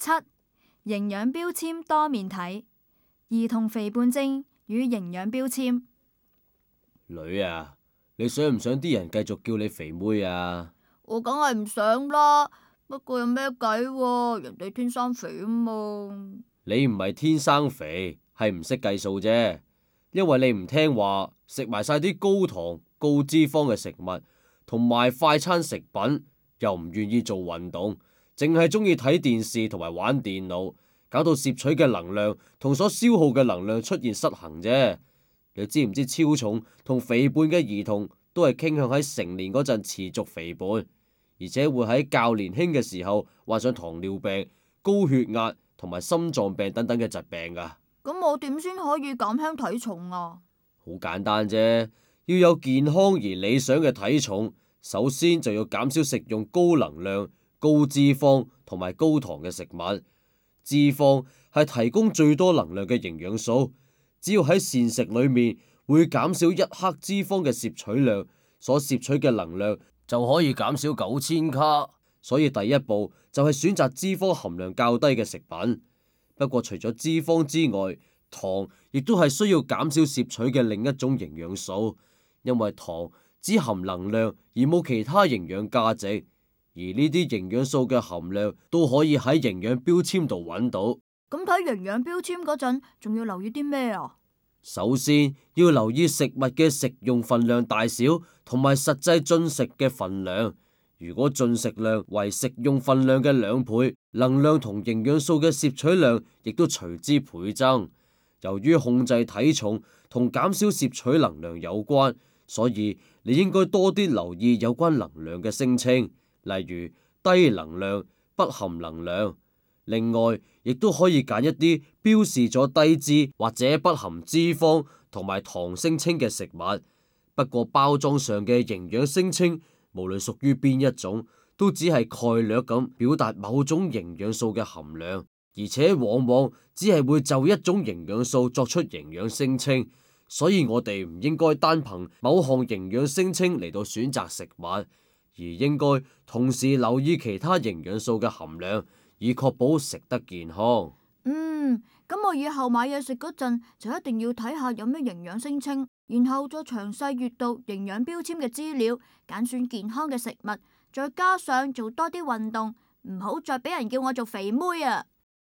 7. 營養標籤多面睇，兒童肥胖症與營養標籤。女啊，你想唔想啲人繼續叫你肥妹啊？我梗係唔想啦，不過有咩計喎？人哋天生肥啊嘛。你唔係天生肥，係唔識計數啫。因為你唔聽話，食埋晒啲高糖、高脂肪嘅食物，同埋快餐食品，又唔願意做運動，淨係中意睇電視同埋玩電腦，搞到攝取嘅能量同所消耗嘅能量出現失衡啫。你知唔知超重同肥胖嘅兒童都係傾向喺成年嗰陣持續肥胖，而且會喺較年輕嘅時候患上糖尿病、高血壓同埋心臟病等等嘅疾病㗎。咁我點先可以減輕體重啊？好簡單啫，要有健康而理想嘅體重，首先就要減少食用高能量、高脂肪同埋高糖嘅食物。脂肪係提供最多能量嘅營養素，只要喺膳食裏面會減少1克脂肪嘅攝取量，所攝取嘅能量就可以減少9000卡。所以第一步就係選擇脂肪含量較低嘅食品。不過除咗脂肪之外，糖亦都係需要減少攝取嘅另一種營養素，因為糖只含能量而冇其他營養價值，而呢啲營養素嘅含量都可以喺營養標籤度揾到。咁睇營養標籤嗰陣，仲要留意啲咩啊？首先要留意食物嘅食用份量大小同埋實際進食嘅份量。如果進食量為食用份量嘅2倍，能量同營養素嘅攝取量亦都隨之倍增。由於控制體重同減少攝取能量有關，所以你應該多啲留意有關能量嘅聲稱，例如低能量、不含能量。另外，亦都可以揀一啲標示咗低脂或者不含脂肪同埋糖聲稱嘅食物。不過包裝上嘅營養聲稱，無論屬於邊一種，都只係概略咁表達某種營養素嘅含量，而且往往只係會就一種營養素作出營養聲稱。所以我哋唔應該單憑某項營養聲稱嚟到選擇食物，而應該同時留意其他營養素嘅含量，以確保食得健康。咁我以後買嘢食嗰陣就一定要睇下有咩營養聲稱，然後再詳細閱讀營養標籤嘅資料，揀選健康嘅食物，再加上做多啲運動，唔好再俾人叫我做肥妹啊！